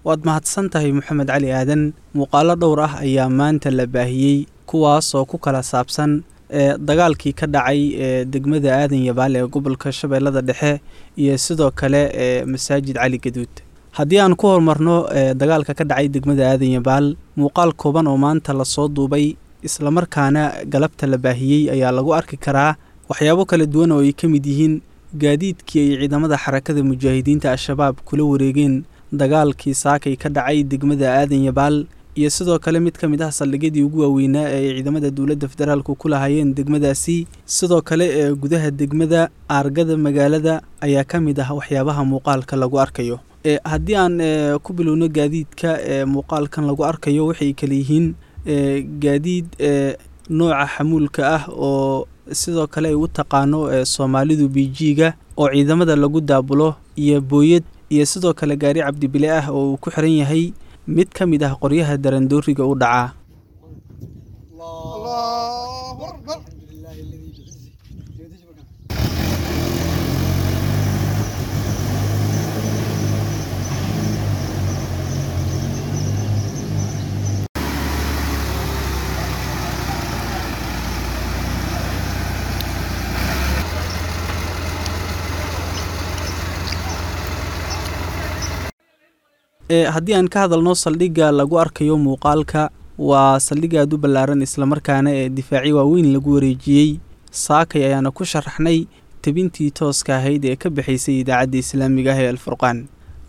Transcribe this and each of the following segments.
Waad mahadsan tahay Maxamed Cali Aadan. Muuqaalo dhowr ah ayaa maanta la baahiyey, kuwaas oo ku kala saabsan ee dagaalkii ka dhacay ee degmada Aadan Yabaal ee gobolka Shabeellada Dhexe iyo sidoo kale ee Masaajid Cali Gaduud. Haddii aan ku horumarno ee dagaalka ka dhacay degmada Aadan Yabaal, muuqaal kooban oo maanta lasoo duubay islamarkaana galabta la baahiyey ayaa lagu arki karaa waxyaabo kala duwan oo ay ka mid yihiin gaadiidkii ay ciidamada Xarakada Mujaahidiinta Al-Shabaab kula wareegeen dagaalkii saakay ka dhacay degmada Aadan Yabaal, iyo sidoo kale mid ka mid ah saldhigyadii ugu waaweynaa ee ay ciidamada dowladda federaalku ku lahaayeen degmadaasi. Sidoo kale ee gudaha degmada, aargada magaalada ayaa ka mid ah waxyaabaha muuqaalka lagu arkayo. Haddii aan ku bilowno gaadiidka ee muuqaalkan lagu arkayo, waxay kala yihiin gaadiid nooca xamuulka ah oo sidoo kale ay u taqaano Soomaalidu BG-ga oo ciidamada lagu daabulo, iyo booyad, iyo sidoo kale gaari cabdibile ah oo uu ku xiran yahay mid ka mid ah qoryaha darandooriga u dhacaa. الله أكبر. Haddii aan ka hadalno saldhigga lagu arkayo muuqaalka, waa saldhig aada u ballaaran islamarkaana ee difaaci waaweyn lagu wareejiyey. Saakay ayaana ku sharaxnay tebintii tooska ahayd ee ka bixaysay idaacadda islaamiga ah ee Alfurqaan.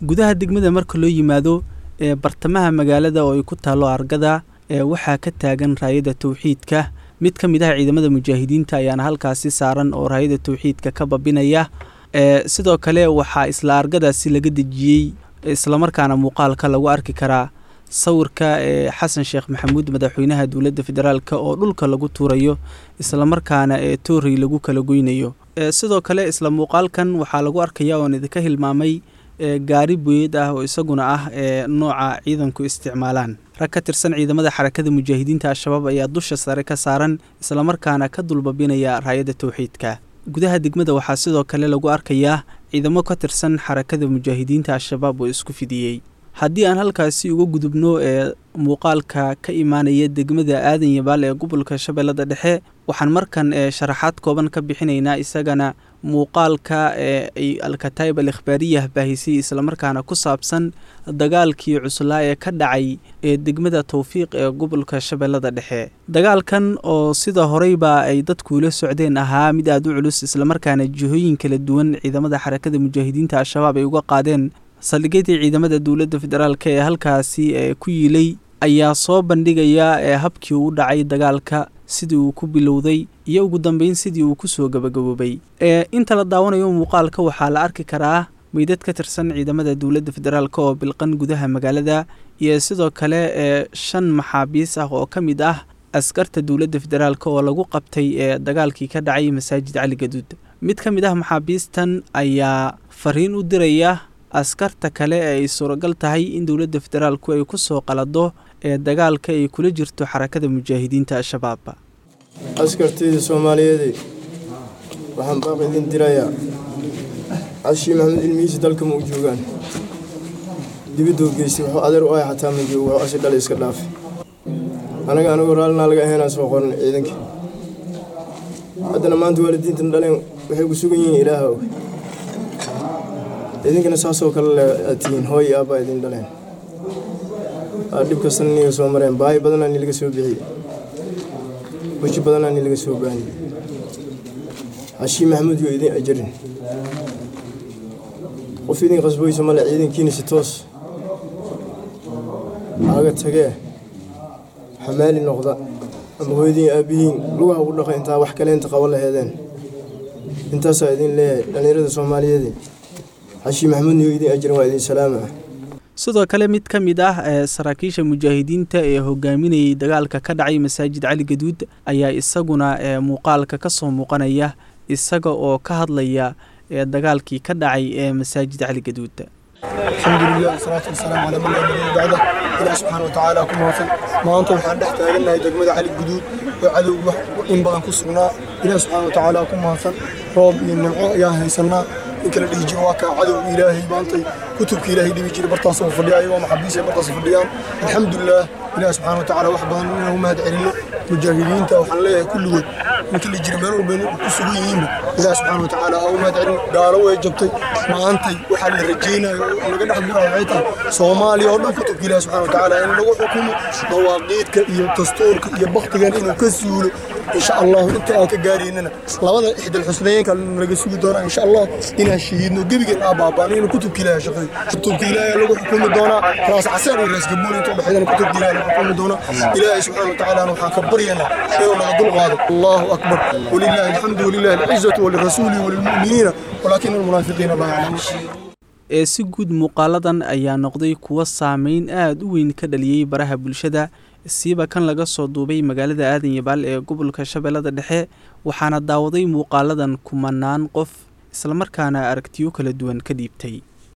Gudaha degmada marka loo yimaado, ee bartamaha magaalada oo ay ku taallo argada, ee waxaa ka taagan raayada towxiidka. Mid ka mid ah ciidamada mujaahidiinta ayaana halkaasi saaran oo raayada towxiidka ka babinaya. Sidoo kale waxaa isla argadaasi laga dejiyey islamarkaana muuqaalka lagu arki karaa sawirka ee Xasan Sheekh Maxamuud, madaxweynaha dowladda federaalka, oo dhulka lagu tuurayo islamarkaana ee toorey lagu kala goynayo. Sidoo kale isla muuqaalkan waxaa lagu arkaya oon idinka hilmaamay gaari booyad ah oo isaguna ah ee nooca ciidanku isticmaalaan. Rag ka tirsan ciidamada Xarakada Mujaahidiinta Al-Shabaab ayaa dusha sare ka saaran islamarkaana ka dulbabinaya raayada towxiidka. Gudaha degmada waxaa sidoo kale lagu arkayaa ciidamo ka tirsan Xarakada Mujaahidiinta Al-Shabaab oo isku fidiyey. Haddii aan halkaasi uga gudubno ee muuqaalka ka imaanaya degmada Aadan Yabaal ee gobolka Shabeellada Dhexe, waxaan markan ee sharaxaad kooban ka bixinaynaa isagana muuqaalka ee ay Alkataib Al Ikhbaariyah baahisay islamarkaana ku saabsan dagaalkii cuslaa ee ka dhacay ee degmada Towfiiq ee gobolka Shabeellada Dhexe. Dagaalkan oo sida horeyba ay dadku ula socdeen ahaa mid aada u culus islamarkaana jihooyin kala duwan ciidamada Xarakada Mujaahidiinta Al-Shabaab ay uga qaadeen saldhigyadii ciidamada dowladda federaalka ee halkaasi ee ku yiilay, ayaa soo bandhigaya ee habkii uu dhacay dagaalka, sidii uu ku bilowday iyo ugu dambeyn sidii uu kusoo gabagaboobay. Inta la daawanayo muuqaalka waxaa la arki karaa meydad ka tirsan ciidamada dowladda federaalk oo bilqan gudaha magaalada, iyo sidoo kale ee 5 maxaabiis ah oo ka mid ah askarta dowladda federaalk oo lagu qabtay ee dagaalkii ka dhacay Masaajid Cali Gaduud. Mid ka mid ah maxaabiistan ayaa fariin u diraya askarta kale ee ay suuragal tahay in dowladda federaalku ay ku soo qalado ee dagaalka ay kula jirto Xarakada Mujaahidiinta Al-Shabaab. Askartayda Soomaaliyeed, waxaan baaq idin dirayaa. Cashii Maxamed ilmihiisa dalka ma u joogaan, dibaduu geystay. Wuxuu adeer u ahay xataa ma joogo, wuxuu asi dhalay iska dhaafay. Anaga anigoo raallinaa laga ahaynaan soo qoran ciidanka. Haddana maanta waalidiintan dhaleen waxay ku sugan yihiin Ilaaha og. Idinkana saasoo kale le aad tihiin, hooy iyo aabbaa idin dhaleen, dhib kastana niga soo mareen, baahi badanaa ni laga soo bixiyey, weji badanaa ni laga soo baaniyey. Cashii Maxamuud yoo idin ajarin, qof idin qasboysa male. Ciidankiina si toos aaga tagee, xamaali noqda ama hooyadiin aabbihiin lugaha ugu dhaqa intaa wax kaleenta qaban laheedeen. Intaasaa idin leeyahay dhallinyarada Soomaaliyeed. Xashii Maxamuudna yoo idin ajarin, waa idin salaama. Sidoo kale mid ka mid ah saraakiisha mujaahidiinta ee hogaaminayay dagaalka ka dhacay Masaajid Cali Gaduud ayaa isaguna muuqaalka ka soo muuqanaya, isaga oo ka hadlaya dagaalkii ka dhacay ee Masaajid Cali Gaduud. الحمد لله والصلاة والسلام على من لا نبي بعده. إله سبحانه وتعالى ku mahadsan. Maanta waxaan dhex taagannahay degmada Cali Guduud oo cadowga in badan ku sugnaa. Ilaah subxaana watacaala ku mahadsan, roob iyo nimco ayaan haysanaa. In kala dhihi jiro waa kaa cadowga Ilaahay maantay Kutubka Ilaahay dhibi jiray bartaasoo fadhiya, ayagoo maxaabiis ay bartaas fadhiyaan. Alxamdulilah, Ilaah subxaana watacaala wax badan inaan u mahad celinno. Mujaahidiinta waxaan leeyahay kulligood inta la jira meel walba ku sugan yihiinba, Ilaah subxaana watacaala ha u mahad celin. Gaalo way jabtay maantay. Waxaa la rajaynayo oo laga dhex gurayo waxay tahay Soomaaliya oo dhan kutubka Ilaah subxaana watacaala in lagu xukumo, dawaaqiidka iyo dastuurka iyo baktigan inuu ka suulo, insha Allahu. Inta aan ka gaaraynana labada ixdal xusnaynka laga sugi doonaa, insha Allah, inaan shahiidno, gebigeen aa baaba'no, inuu kutubka Ilaahay shaqeeyo. Kutubka Ilaahay lagu xukumi doonaa Raas Caseer iyo Raas Gabuun inta udhexeydana kutubka Ilaahay lagu xukumi doonaa. Ilaahay subxaana watacaala waxaan ka baryaynaa inuu naga dul qaado. Allahu akbar, walillahi alxamdu, walillahi alcizatu, walirasuuli, walilmu'miniina, walaakina almunaafiqiina laa yaclamuun. Ee si guud muuqaaladan ayaa noqday kuwo saameyn aada u weyn ka dhaliyey baraha bulshada, siiba kan laga soo duubay magaalada Aadan Yabaal ee gobolka Shabeellada Dhexe, waxaana daawaday muuqaaladan kumanaan qof, islamarkaana aragtiyo kala duwan ka dhiibtay.